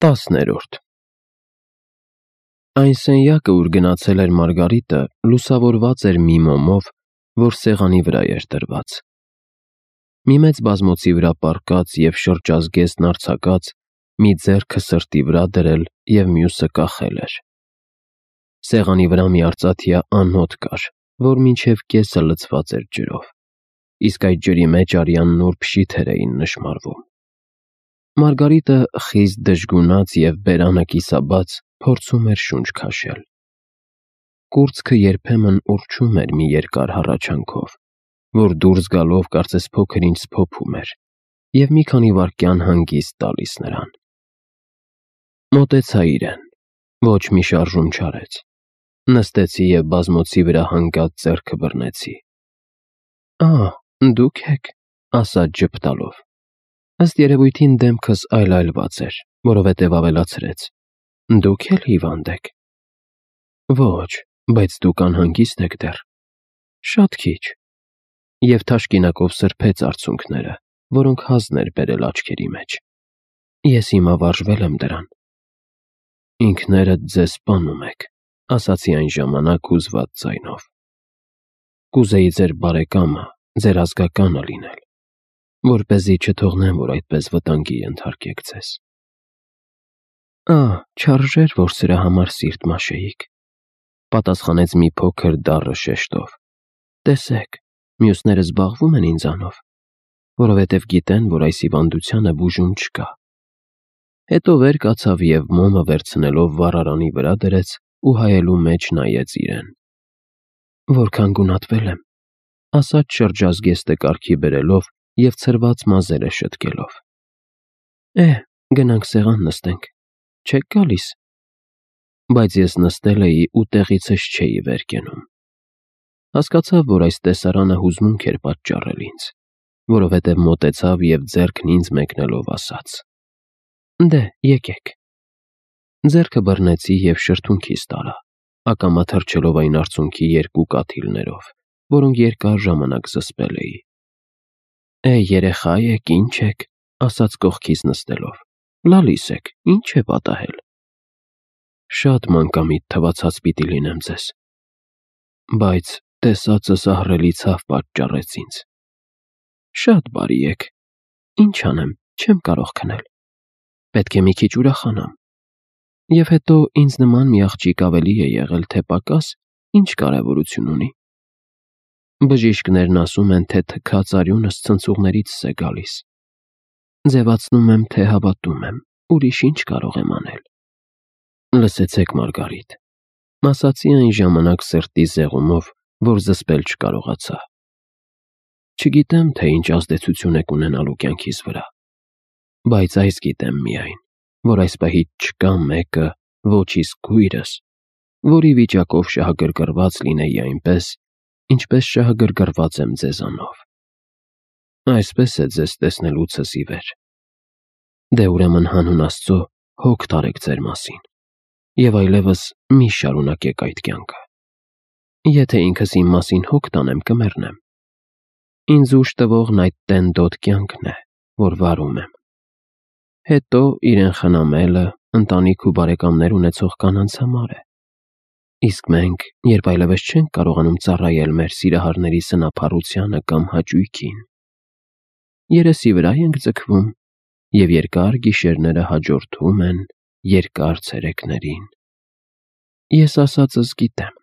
10-րդ Այն սենյակը, ուր գնացել էր Մարգարիտը, լուսավորված էր մի մոմով, որ սեղանի վրա էր դրված։ Մի մեծ բազմոցի վրա պառկած և շրջազգեստն արձակած, մի ձեռքը սրտի վրա դրել և մյուսը կախել էր։ Սեղանի վրա մի արծաթյա անոթ կար, որ մինչև կեսը լցված էր ջրով, իսկ այդ ջրի մեջ արյան նուրբ շիթեր էին նշմարվում։ Մարգարիտը, խիստ դժգունած և բերանը կիսաբաց, փորձում էր շունչ քաշել։ Կուրծքը երբեմն ուռչում էր մի երկար հառաչանքով, որ դուրս գալով կարծես փոքր-ինչ սփոփում էր և մի քանի վայրկյան հանգիստ տալիս նրան։ Մոտեցա իրեն, ոչ մի շարժում չարեց։ Նստեցի և բազմոցի վրա հանգած ձեռքը բռնեցի։ Դուք եք, ասաց ժպտալով։ Ըստ երևույթին դեմքս այլայլված էր, որովհետև ավելացրեց. Դուք էլ հիվանդ եք։ Ոչ, բայց դուք անհանգիստ եք դեռ։ Շատ քիչ։ Եվ թաշկինակով սրբեց արցունքները, որոնք հազն էր բերել աչքերի մեջ։ Ես հիմա վարժվել եմ դրան։ Ինքներդ ձեզ սպանում եք, ասացի այն ժամանակ հուզված ձայնով։ Կուզեի ձեր բարեկամը, ձեր ազգականը լինել, որպեսզի չթողնեմ, որ այդպես վտանգի ենթարկեք ձեզ։ Չարժեր, որ սրա համար սիրտ մաշեիք, պատասխանեց մի փոքր դառը շեշտով։ Տեսեք, մյուսները զբաղվում են ինձանով, որովհետև գիտեն, որ այս հիվանդությանը բուժում չկա։ Հետո վեր կացավ և մոմը վերցնելով վառարանի վրա դրեց ու հայելու մեջ նայեց իրեն։ Որքան գունատվել եմ, ասաց շրջազգեստը կարգի բերելով և ցրված մազերը շտկելով։ Գնանք սեղան նստենք, չեք գալիս։ Բայց ես նստել էի ու տեղիցս չէի վեր կենում։ Հասկացավ, որ այս տեսարանը հուզմունք էր պատճառել ինձ, որովհետև մոտեցավ և ձեռքն ինձ մեկնելով ասաց. Դե, եկեք։ Ձեռքը բռնեցի և շրթունքիս տարա, ակամա թռչելով այն արցունքի երկու կաթիլներով, որոնք երկար ժամանակ զսպել էի։ Երեխա եք, ինչ եք, ասաց կողքիս նստելով։ Լալիս եք, ինչ է պատահել։ Շատ մանկամիտ թվացած պիտի լինեմ ձեզ։ Բայց տեսածս ահռելի ցավ պատճառեց ինձ։ Շատ բարի եք։ Ինչ անեմ, չեմ կարող քնել։ Պետք է մի քիչ ուրախանամ։ Եվ հետո ինձ նման մի աղջիկ ավելի է եղել, թե պակաս, ինչ կարևորություն ունի։ Բժիշկներն ասում են, թե թքած արյունս ցնցուղներիցս է գալիս։ Ձևացնում եմ, թե հավատում եմ, ուրիշ ինչ կարող եմ անել։ Լսեցեք, Մարգարիտ, ասացի այն ժամանակ սրտի զեղումով, որ զսպել չկարողացա։ Չգիտեմ, թե ինչ ազդեցություն եք ունենալու կյանքիս վրա, բայց այս գիտեմ միայն, որ այս պահից չկա մեկը, ոչ իսկ քույրս, որի վիճակով շահագրգռված լինեի այնպես, ինչպես շահագրգռված եմ ձեզանով։ Այսպես է ձեզ տեսնելուցս ի վեր։ Դե ուրեմն հանուն Աստծո հոգ տարեք ձեր մասին, և այլևս մի շարունակեք այդ կյանքը։ Եթե ինքս իմ մասին հոգ տանեմ, կմեռնեմ։ Ինձ ուժ տվողն այդ տենդոտ կյանքն է, որ վարում եմ։ Հետո իրեն խնամելը ընտանիք ու բարեկամներ ունեցող կանանց համար է։ Իսկ մենք, երբ այլևս չենք կարողանում ծառայել մեր սիրահարների սնափառությանը կամ հաճույքին, երեսի վրա ենք ձգվում, և երկար գիշերները հաջորդում են երկար ցերեկներին։ Ես ասածս գիտեմ։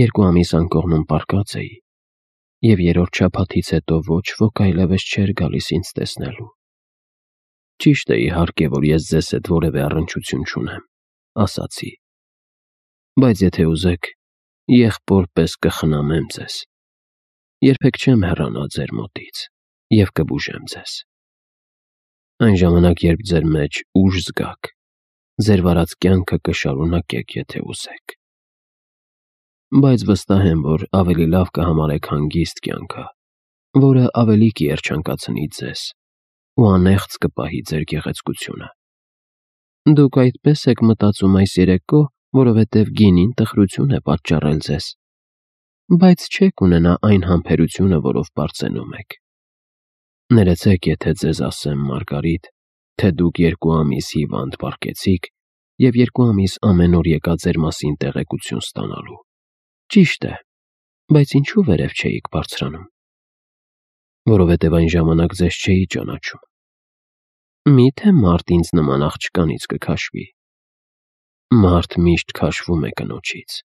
2 ամիս անկողնում պառկած էի, և երրորդ շաբաթից հետո ոչ ոք այլևս չէր գալիս ինձ տեսնելու։ Ճիշտ է, իհարկե, որ ես ձեզ հետ որևէ առնչություն չունեմ, ասացի։ Բայց եթե ուզեք, եղբոր պես կխնամեմ ձեզ։ Երբեք չեմ հեռանա ձեր մոտից և կբուժեմ ձեզ։ Այն ժամանակ, երբ ձեր մեջ ուժ զգաք, ձեր վարած կյանքը կշարունակեք, եթե ուզեք։ Բայց վստահ եմ, որ ավելի լավ կհամարեք հանգիստ կյանքը, որը ավելի կերջանկացնի ձեզ ու անեղծ կպահի ձեր գեղեցկությունը։ Դուք այդպես եք մտածում այս երեկո, որովհետև գինին տխրություն է պատճառել ձեզ, բայց չեք ունենա այն համբերությունը, որով պարծենում եք։ Ներեցեք, եթե ձեզ ասեմ, Մարգարիտ, թե դուք 2 ամիս հիվանդ պառկեցիք և 2 ամիս ամեն օր եկա ձեր մասին տեղեկություն ստանալու։ Ճիշտ է, բայց ինչու վերև չէիք բարձրանում։ Որովհետև այն ժամանակ ձեզ չէի ճանաչում։ Միթե մարդ ինձ նման աղջկանից կքաշվի։ Մարդ միշտ քաշվում է կնոջից։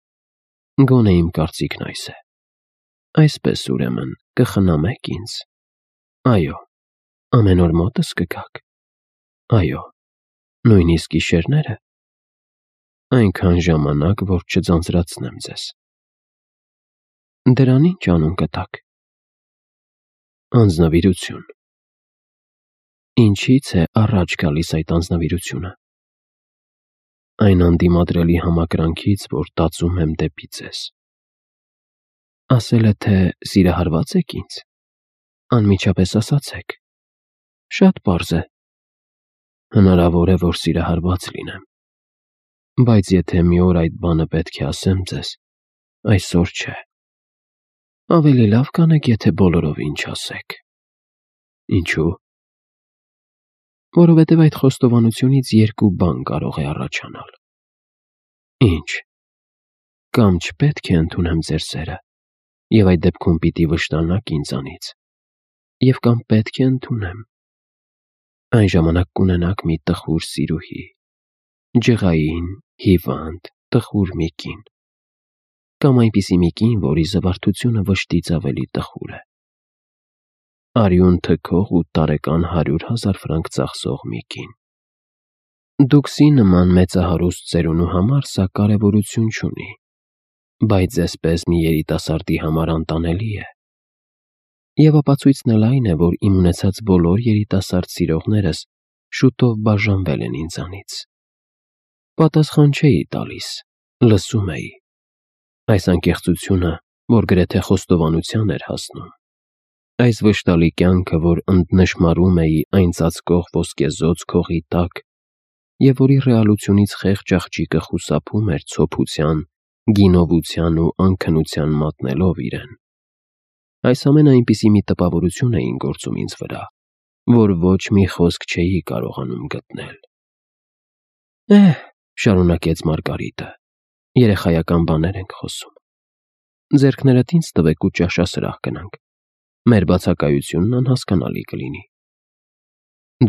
Գոնե իմ կարծիքն այս է։ Այսպես ուրեմն կխնամեք ինձ։ Այո, ամեն օր մոտս կգաք։ Այո, նույնիսկ գիշերները։ Այնքան ժամանակ, որ չձանձրացնեմ ձեզ։ Դրան ինչ անուն կտաք։ Անձնվիրություն։ Ինչից է առաջ գալիս այդ անձնվիրությունը։ Այն անդիմադրելի համակրանքից, որ տածում եմ դեպի ձեզ։ Ասել է, թե սիրահարված եք ինձ։ Անմիջապես ասացեք։ Շատ պարզ է։ Հնարավոր է, որ սիրահարված լինեմ։ Բայց եթե մի օր այդ բանը պետք է ասեմ ձեզ, այսօր չէ։ Ավելի լավ կանեք, եթե բոլորովին չասեք։ Ինչու՞։ Որովհետև այդ խոստովանությունից 2 բան կարող է առաջանալ։ Ինչ։ Կամ չպետք է ընդունեմ ձեր սերը, և այդ դեպքում պիտի վշտանաք ինձանից, և կամ պետք է ընդունեմ։ Այն ժամանակ կունենաք մի տխուր սիրուհի, ջղային, հիվանդ, տխուր մի կին, կամ այնպիսի մի կին, որի զվարթությունը վշտից ավելի տխուր է։ Արյուն թքող ու տարեկան 100,000 ֆրանկ ծախսող մի կին։ Դուքսի նման մեծահարուստ ծերունու համար սա կարևորություն չունի, բայց ձեզպես մի երիտասարդի համար անտանելի է։ Եվ ապացույցն էլ այն է, որ իմ ունեցած բոլոր երիտասարդ սիրողներս շուտով բաժանվել են ինձանից։ Պատասխան չէի տալիս, լսում էի։ Այս անկեղծությունը, որ գրեթե խոստովանության էր հասնում։ Այս վշտալի կյանքը, որ ընդնշմարում էի այն ծածկող ոսկեզօծ քողի տակ, և որի ռեալությունից խեղճ աղջիկը խուսափում էր ցոփության, գինովության ու անքնության մատնելով իրեն։ Այս ամենը այնպիսի մի տպավորություն էին գործում ինձ վրա, որ ոչ մի խոսք չէի կարողանում գտնել։ Շարունակեց Մարգարիտը, երեխայական բաներ ենք խոսում։ Ձեռքներդ ինձ տվեք ու ճաշասրահ գնանք։ Մեր բացակայությունն անհասկանալի կլինի։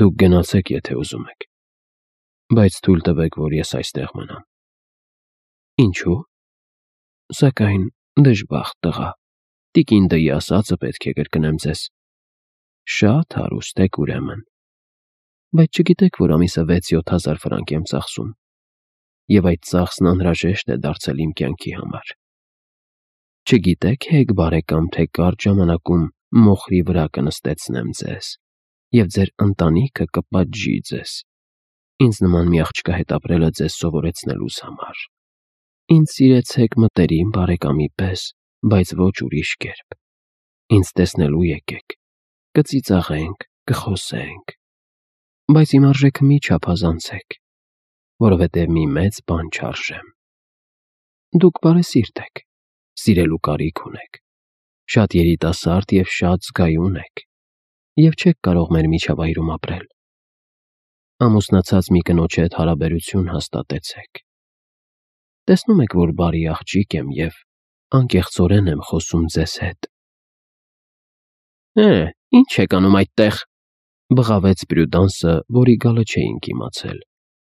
Դուք գնացեք, եթե ուզում եք, բայց թույլ տվեք, որ ես այստեղ մնամ։ Ինչու՞։ Սակայն դժբախտ տղա, տիկին Դ'ի ասածը պետք է կրկնեմ ձեզ։ Շատ հարուստ եք ուրեմն։ Բայց չգիտեք, որ ամիսը 6-7 հազար ֆրանկ եմ ծախսում, և այդ ծախսն անհրաժեշտ է դարձել իմ կյանքի համար։ Չգիտեք, հեգ բարեկամ, թե կարճ ժամանակում մոխրի վրա կնստեցնեմ ձեզ, և ձեր ընտանիքը կպատժի ձեզ։ Ինձ նման մի աղջկա հետ ապրելը ձեզ սովորեցնելուս համար։ Ինձ սիրեցեք մտերիմ բարեկամի պես, բայց ոչ ուրիշ կերպ։ Ինձ տեսնելու եկեք, կծիծաղենք, կխոսենք, բայց իմ արժեքը մի չափազանցեք, որովհետև մի մեծ բան չարժեմ։ Դուք բարեսիրտ եք, սիրելու կարիք ունեք, շատ երիտասարդ և շատ զգայուն եք, և չեք կարող մեր միջավայրում ապրել։ Ամուսնացած մի կնոջ հետ հարաբերություն հաստատեցեք։ Տեսնում եք, որ բարի աղջիկ եմ և անկեղծորեն եմ խոսում ձեզ հետ։ Ինչ եք անում այդտեղ, բղավեց Պրյուդանսը, որի գալը չէինք իմացել,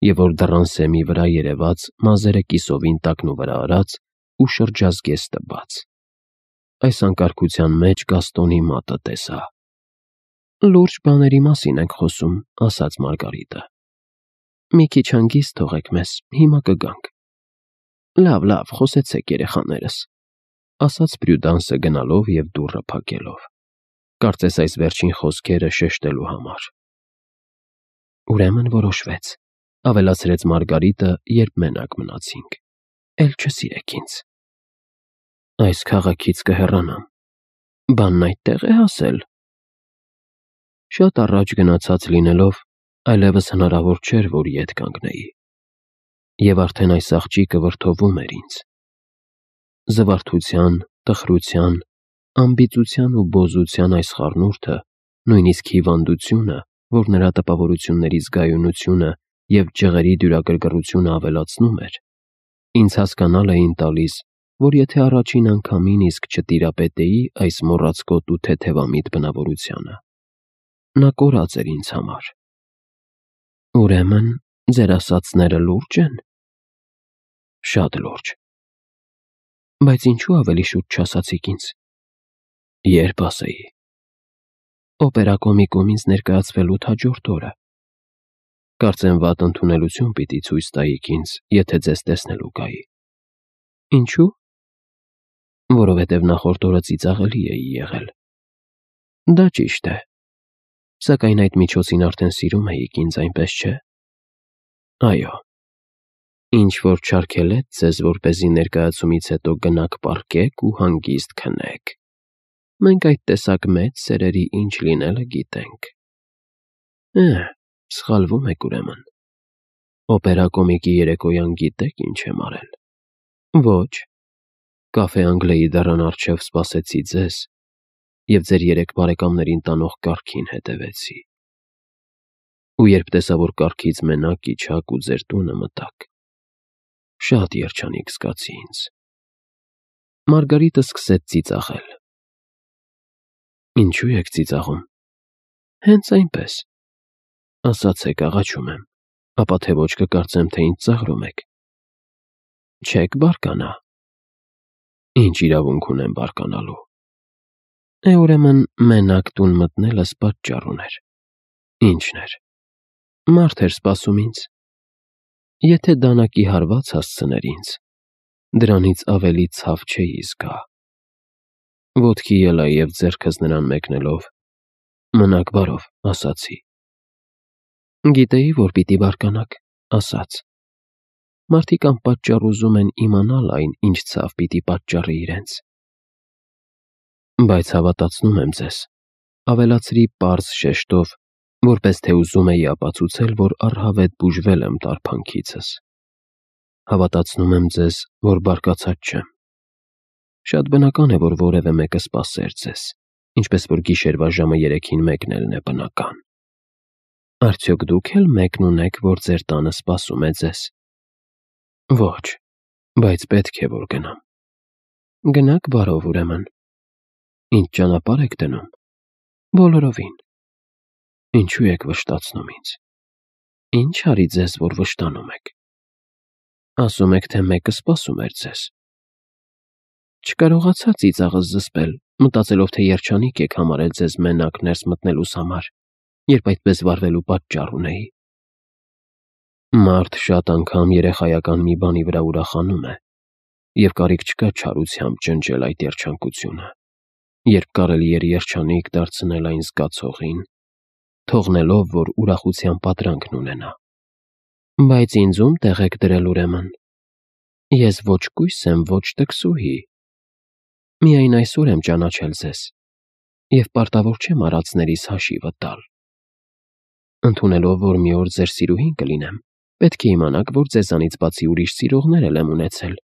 և որ դռան սեմի վրա երևաց, մազերը կիսովին տակնուվրա արած ու շրջազգեստ տված։ Այս անկարգության մեջ Գաստոնի մատը տեսա։ Լուրջ բաների մասին ենք խոսում, ասաց Մարգարիտը։ Մի քիչ հանգիստ թողեք մեզ, հիմա կգանք։ Լավ, խոսեցեք երեխաներս, ասաց Պրյուդանսը գնալով և դուռը փակելով, կարծես այս վերջին խոսքերը շեշտելու համար։ Ուրեմն որոշվեց, ավելացրեց Մարգարիտը, երբ մենակ մնացինք։ Էլ չսիրեք ինձ։ Այս քաղաքից կհեռանամ։ Բանն այդտեղ է հասել։ Շատ առաջ գնացած լինելով, այլևս հնարավոր չէր, որ ետ կանգնեի։ Եվ արդեն այս աղջիկը վրդովում էր ինձ։ Զվարթության, տխրության, ամբիծության ու բոզության այս խառնուրդը, նույնիսկ հիվանդությունը, որ նրա տպավորությունների զգայունությունը և ջղերի դյուրագրգռությունը ավելացնում էր, ինձ հասկանալ էին տալիս, որ եթե առաջին անգամին իսկ չտիրապետեի այս մոռացկոտ ու թեթևամիտ բնավորությանը, նա կորած էր ինձ համար։ Ուրեմն, ձեր ասածները լուրջ են։ Շատ լուրջ։ Բայց ինչու ավելի շուտ չասացիք ինձ։ Երբ ասեի։ Օպերակոմիկում ինձ ներկայացվելուց հաջորդ օրը։ Կարծեմ վատ ընդունելություն պիտի ցույց տայիք ինձ, եթե ձեզ տեսնելու գայի։ Ինչու։ Որովհետև նախորդ օրը ծիծաղելի էի եղել։ Դա ճիշտ է։ Սակայն այդ միջոցին արդեն սիրում էիք ինձ, այնպես չէ։ Այո։ Ինչ որ չարգելեց ձեզ, որպեսզի ներկայացումից հետո գնաք պառկեք ու հանգիստ քնեք։ Մենք այդ տեսակ մեծ սերերի ինչ լինելը գիտենք։ Սխալվում եք ուրեմն։ Օպերակոմիկի երեկոյան գիտեք ինչ եմ արել։ Ոչ։ Կաֆե Անգլիայի դռան առջև սպասեցի ձեզ և ձեր 3 բարեկամներին տանող կառքին հետևեցի։ Ու երբ տեսա, որ կառքից մենակ իջաք ու ձեր տունը մտաք, շատ երջանիկ զգացի ինձ։ Մարգարիտը սկսեց ծիծաղել։ Ինչու եք ծիծաղում։ Հենց այնպես։ Ասացեք, աղաչում եմ, ապա թե ոչ կկարծեմ, թե ինձ ծաղրում եք։ Չեք բարկանա։ Ինչ իրավունք ունեմ բարկանալու։ Ուրեմն մենակ տուն մտնելս պատճառ ուներ։ Ինչն էր։ Մարդ էր սպասում ինձ։ Եթե դանակի հարված հասցներ ինձ, դրանից ավելի ցավ չէի զգա։ Ոտքի ելա և ձեռքս նրան մեկնելով, մնաք բարով, ասացի։ Գիտեի, որ պիտի բարկանաք, ասաց։ Մարդիկ անպատճառ ուզում են իմանալ այն, ինչ ցավ պիտի պատճառի իրենց։ Բայց հավատացնում եմ ձեզ, ավելացրի պարզ շեշտով, որպես թե ուզում էի ապացուցել, որ առհավետ բուժվել եմ տարփանքիցս։ Հավատացնում եմ ձեզ, որ բարկացած չեմ։ Շատ բնական է, որ որևէ մեկը սպասեր ձեզ, ինչպես որ գիշերվա ժամը 3-ին մեկնելն է բնական։ Արդյոք դուք էլ մեկն ունեք, որ ձեր տանը սպասում է ձեզ։ Ոչ, բայց պետք է, որ գնամ։ Գնաք բարով ուրեմն։ Ինչ ճանապարհ եք դնում։ Բոլորովին։ Ինչու եք վշտացնում ինձ։ Ինչ արի ձեզ, որ վշտանում եք։ Ասում եք, թե մեկը սպասում էր ձեզ։ Չկարողացա ծիծաղս զսպել, մտածելով, թե երջանիկ եք համարել ձեզ մենակ ներս մտնելուս համար, երբ այդպես վարվելու պատճառ ունեի։ Մարդ շատ անգամ երեխայական մի բանի վրա ուրախանում է, և կարիք չկա չարությամբ ջնջել այդ երջանկությունը, երբ կարելի էր երջանիկ դարձնել այն զգացողին, թողնելով, որ ուրախության պատրանքն ունենա։ Բայց ինձում տեղ եք դրել ուրեմն։ Ես ոչ կույս եմ, ոչ տքսուհի։ Միայն այսօր եմ ճանաչել ձեզ, և պարտավոր չեմ արածներիս հաշիվը տալ։ Ընդունելով, որ մի օր ձեր սիրուհին կլինեմ, պետք է իմանաք, որ ձեզանից բացի ուրիշ սիրողներ էլ եմ ունեցել։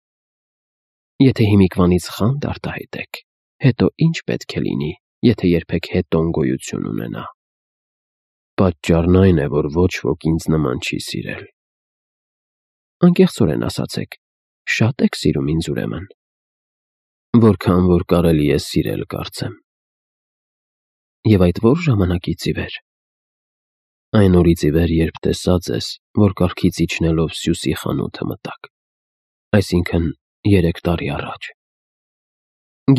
Եթե հիմիկվանից խանդ արտահայտեք, հետո ինչ պետք է լինի, եթե երբեք հետոն գոյություն ունենա։ Պատճառն այն է, որ ոչ ոք ինձ նման չի սիրել։ Անկեղծորեն ասացեք, շատ եք սիրում ինձ ուրեմն։ Որքան որ կարելի է սիրել, կարծեմ։ Եվ այդ որ ժամանակից ի վեր։ Այն օրից ի վեր, երբ տեսա ձեզ, որ կառքից իջնելով Սյուսի խանութը մտաք, այսինքն 3 տարի առաջ։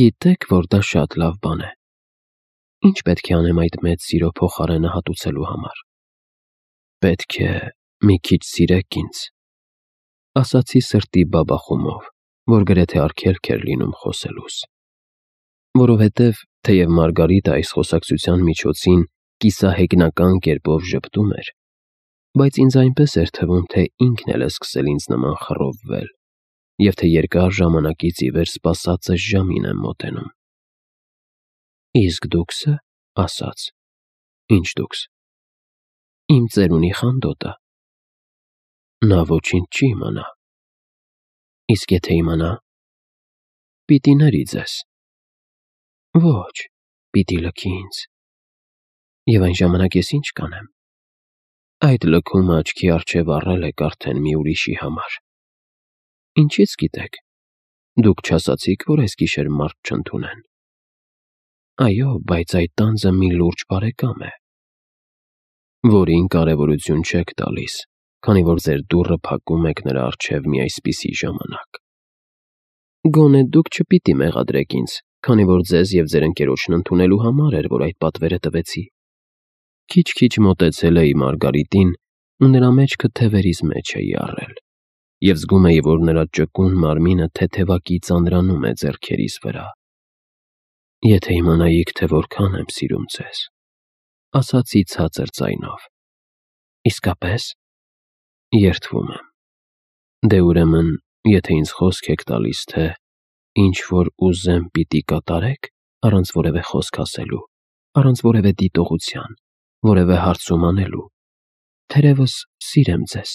Գիտեք, որ դա շատ լավ բան է։ Ինչ պետք է անեմ այդ մեծ սիրո փոխարենը հատուցելու համար։ Պետք է մի քիչ սիրեք ինձ, ասացի սրտի բաբախումով, որ գրեթե արգելք էր լինում խոսելուս։ Որովհետև, թեև Մարգարիտը այս խոսակցության միջոցին կիսահեգնական կերպով ժպտում էր, բայց ինձ այնպես էր թվում, թե ինքն էլ է սկսել ինձ նման խռովվել, և թե երկար ժամանակից ի վեր սպասածս ժամին եմ մոտենում։ Իսկ դուքսը, ասաց։ Ինչ դուքս։ Իմ ծերունի խանդոտը։ Նա ոչինչ չի իմանա։ Իսկ եթե իմանա, պիտի ների ձեզ։ Ոչ, պիտի լքի ինձ։ Եվ այն ժամանակ ես ինչ կանեմ։ Այդ լքումը աչքի առջև առել եք արդեն մի ուրիշի համար։ Ինչից գիտեք, դուք չասացիք, որ այս գիշեր մարդ չընդունեն։ Այո, բայց այդ տանձը մի լուրջ բարեկամ է, որին կարևորություն չեք տալիս, քանի որ ձեր դուռը փակում եք նրա առջև մի այսպիսի ժամանակ։ Գոնե դուք չպիտի մեղադրեք ինձ, քանի որ ձեզ և ձեր ընկերոջն ընդունելու համար էր, որ այդ պատվերը տվեցի։ Քիչ-քիչ մոտեցել էի Մարգարիտին ու նրա մեջքը թևերիս մեջ էի առել, և զգում էի, որ նրա ճկուն մարմինը թեթևակի ծանրանում է ձեռքերիս վրա։ Եթե իմանայիք, թե որքան եմ սիրում ձեզ, ասացի ցածր ձայնով։ Իսկապես, երդվում եմ։ Դե ուրեմն, եթե ինձ խոսք եք տալիս, թե ինչ որ ուզեմ պիտի կատարեք, առանց որևէ խոսք ասելու, առանց որևէ դիտողության, որևէ հարցում անելու, թերևս սիրեմ ձեզ։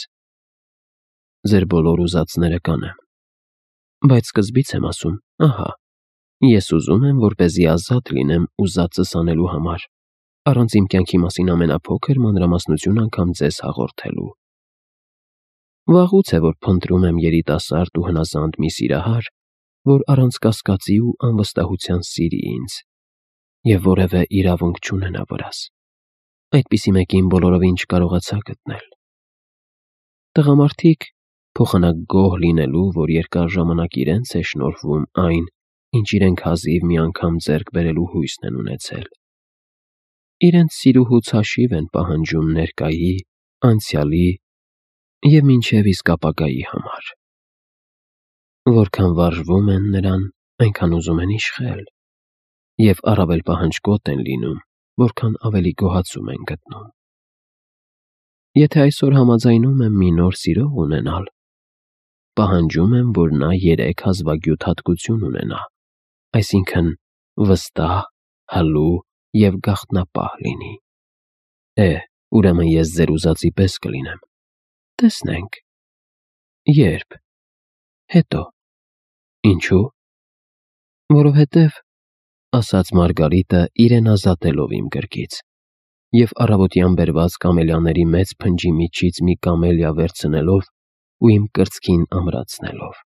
Ձեր բոլոր ուզածները կանեմ։ Բայց սկզբից եմ ասում, ահա, ես ուզում եմ, որպեսզի ազատ լինեմ ուզածս անելու համար, առանց իմ կյանքի մասին ամենափոքր մանրամասնություն անգամ ձեզ հաղորդելու։ Վաղուց է, որ փնտրում եմ երիտասարդ ու հնազանդ մի սիրահար, որ առանց կասկածի ու անվստահության սիրի ինձ, և որևէ իրավունք չունենա վրաս։ Այդպիսի մեկին բոլորովին չկարողացա գտնել։ Տղամարդիկ փոխանակ գոհ լինելու, որ երկար ժամանակ իրենց է շնորհվում այն, ինչ իրենք հազիվ մի անգամ ձեռք բերելու հույսն են ունեցել։ Իրենց սիրուհուց հաշիվ են պահանջում ներկայի, անցյալի և մինչև իսկ ապագայի համար։ Որքան վարժվում են նրան, այնքան ուզում են իշխել, և առավել պահանջկոտ են լինում, որքան ավելի գոհացում են գտնում։ Եթե այսօր համաձայնում եմ մի նոր սիրող ունենալ, պահանջում եմ, որ նա 3 հազվագյուտ հատկություն ունենա, այսինքն վստահ, հլու և գաղտնապահ լինի։ Ուրեմն ես ձեր ուզածի պես կլինեմ։ Տեսնենք։ Երբ։ Հետո։ Ինչու։ Որովհետև, ասաց Մարգարիտը իրեն ազատելով իմ կրքից, և առավոտյան բերված կամելիաների մեծ փնջի միջից մի կամելիա վերցնելով ու իմ կրծքին ամրացնելով։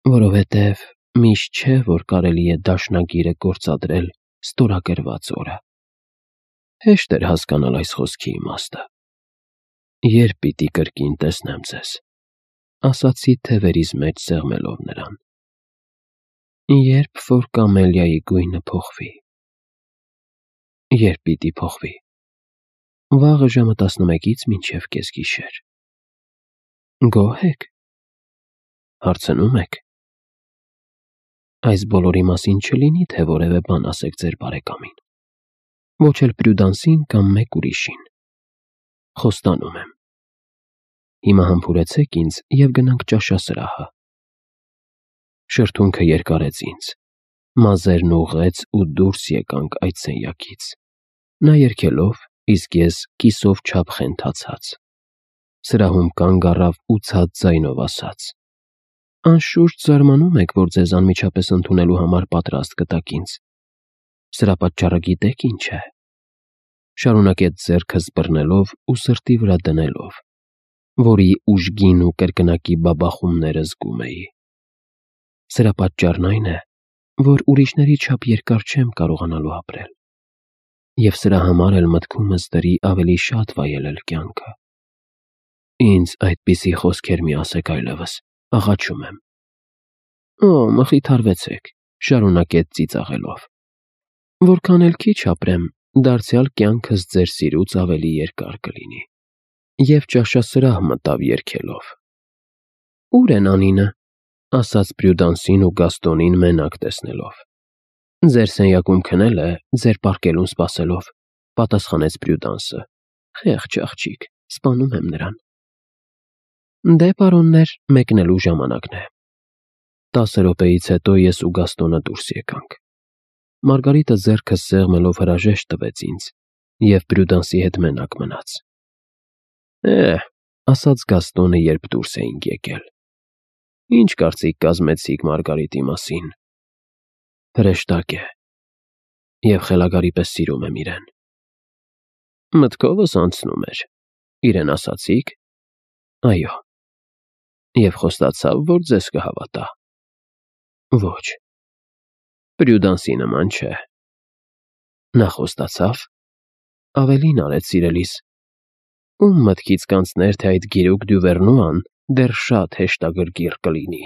Որովհետև միշտ չէ, որ կարելի է դաշնագիրը գործադրել ստորագրված օրը։ Հեշտ էր հասկանալ այս խոսքի իմաստը։ Երբ պիտի կրկին տեսնեմ ձեզ, ասացի թևերիս մեջ սեղմելով նրան։ Երբ որ կամելիայի գույնը փոխվի։ Երբ պիտի փոխվի։ Վաղը ժամը 11-ից մինչև կեսգիշեր։ Գոհ եք։ Հարցնում եք։ Այս բոլորի մասին չլինի, թե որևէ բան ասեք ձեր բարեկամին, ոչ էլ Պրյուդանսին կամ մեկ ուրիշին։ Խոստանում եմ։ Հիմա համբուրեցեք ինձ և գնանք ճաշասրահը։ Շրթունքը երկարեց ինձ, մազերն ուղղեց ու դուրս եկանք այդ սենյակից, նա երգելով, իսկ ես կիսով չափ խենթացած։ Սրահում կանգ առավ ու ցած ձայնով ասաց. Անշուշտ զարմանում եք, որ ձեզ անմիջապես ընդունելու համար պատրաստ կտակ ինձ։ Սրա պատճառը գիտեք ինչ է։ Շարունակեց ձեռքս բռնելով ու սրտի վրա դնելով, որի ուժգին ու կրկնակի բաբախումները զգում էի։ Սրա պատճառն այն է, որ ուրիշների չափ երկար չեմ կարողանալու ապրել, և սրա համար էլ մտքումս դրի ավելի շատ վայելել կյանքը։ Ինձ այդպիսի խոսքեր մի ասեք այլևս, աղաչում եմ։ Մխիթարվեցեք, շարունակեց ծիծաղելով։ Որքան էլ քիչ ապրեմ, դարձյալ կյանքս ձեր սիրուց ավելի երկար կլինի։ Եվ ճաշասրահ մտավ երգելով։ Ո՞ւր են Անինը, ասաց Պրյուդանսին ու Գաստոնին մենակ տեսնելով։ Ձեր սենյակում քնել է, ձեր պառկելուն սպասելով, պատասխանեց Պրյուդանսը։ Խեղճ աղջիկ, սպանում եմ նրան։ Դե, պարոններ, մեկնելու ժամանակն է։ 10 րոպեից հետո ես ու Գաստոնը դուրս եկանք։ Մարգարիտը ձեռքս սեղմելով հրաժեշտ տվեց ինձ, և Պրյուդանսի հետ մենակ մնաց։ Ասաց Գաստոնը, երբ դուրս էինք եկել։ Ինչ կարծիք կազմեցիք Մարգարիտի մասին։ Հրեշտակ է, և խելագարի պես սիրում եմ իրեն։ Մտքովս անցնում էր, Իրեն ասացի՞ք։ Այո։ Եվ խոստացավ, որ ձեզ կհավատա։ Ոչ։ Պրյուդանսի նման չէ։ Նա խոստացավ։ Ավելին արեց, սիրելիս։ Ում մտքից կանցներ, թե այդ գիրուկ Դյուվերնուան դեռ շատ հեշտագրգիռ կլինի։